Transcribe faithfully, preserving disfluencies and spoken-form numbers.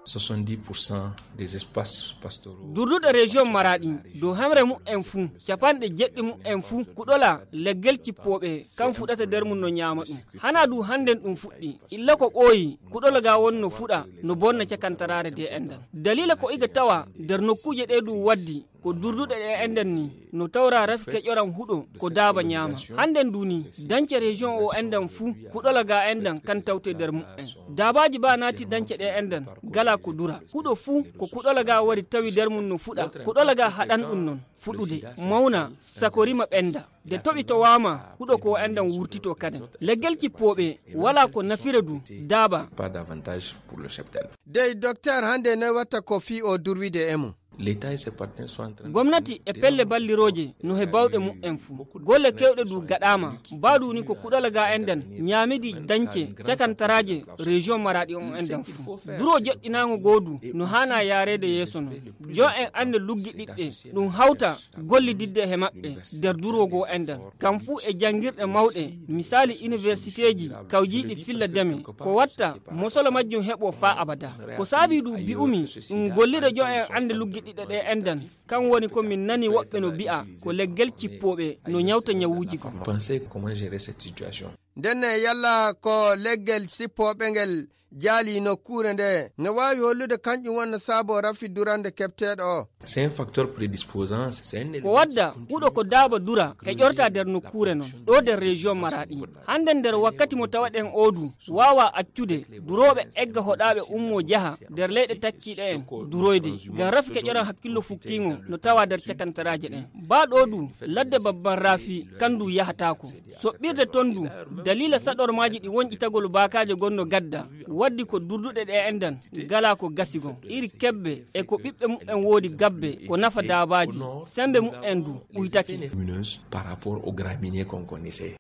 soixante-dix pour cent des espaces pastoraux. Durduɗe région Maraɗi dow hemre mu'en fuu, capanɗe jeɗɗi mu'en fuu kuɗola leggel cippooɓe kan fuɗata nder mum no ñaama ɗum. Hana du hannden ɗum fuɗɗi, illa ko ɓooyi kuɗola ga won no fuɗa, no bonna cakantaraare de enɗan. Dalila ko iga tawa nder nokkuuje ɗe du waddi ko durduɗe ɗe enɗan ni, no tawra rafi keƴoran huɗo ko daaba ñaama. Hannden du ni, dance région o enɗan fuu kuɗola ga enɗan kan tawte nder mu'en. Daabaaji ba naati dance ɗe enɗan gala ko dura. Huɗo fuu ko kuɗola ga wari tawi nder mum no fuɗa, kuɗola ga haɗan ɗum non fuɗude, mawna, sakorima ɓenda. De toɓi to waama huɗo ko enɗan wurtito kaden. Leggel cippooɓe wala ko nafira du daaba. Pas d'avantage pour le cheptel. Dey docteur, hannde noy watta ko fii o durwide e mum? L'état et ses partenaires sont en train de gomnati e pelle ballirooje no he bawɗe mu'en fuu. Golle kewɗe du gaɗaama. Ba du ni ko kuɗola ga enɗan ñaamidi dance cakantaraaje région Maraɗi on enɗan fuu. Duro joɗɗinaango goodu no haana yaareede yeeso non. Jon en annde luggiɗiɗɗe ɗum hawta gollididde he maɓɓe nder durwo goo enɗan. Kam fuu e janngirɗe mawɗe, misaali iniwersiteeji kawjiiɗi filla deme, ko watta mosolo majjum heɓo faa abada. Ko saabii du bi'umi ɗum gollira jon en annde luggiɗiɗɗe ɗe enɗan. Kan woni ko min nani woɓɓe no bi'a ko leggel cippooɓe no ñawta ñawuuji goo. Pensez comment gérer cette situation. Ndenne yalla ko leggel cippooɓe ngel jaali nokkuure nde no waawi hollude kañƴum wonno saabo rafi durande keɓteeɗo o? C'est un facteur prédisposant. Ko wadda huɗo ko daaba dura heƴorta nder nokkuure non ɗo nder région Maraɗi. Hannden nder wakkati mo tawaɗen oo du waawa accude durooɓe egga hoɗaaɓe ummoo jaha nder leyɗe takkiiɗe en duroyde, ngam rafi keƴoran hakkillo fukkiingo no tawa nder cakantaraaje ɗen. Baa ɗoo du ladde babban rafi kan du yahataako. Soɓɓirde ton du, daliila saɗormaaji ɗi wonƴitagol baakaaje gonno gadda, waddi ko durduɗe ɗe enɗan gala ko gasi gon. Iri kebbe e ko ɓiɓɓe mu'en woodi gabbe ko nafa daabaaji, sembe mu'en du ɓuytake. Lumineuse par rapport aux graminées qu'on connaissait.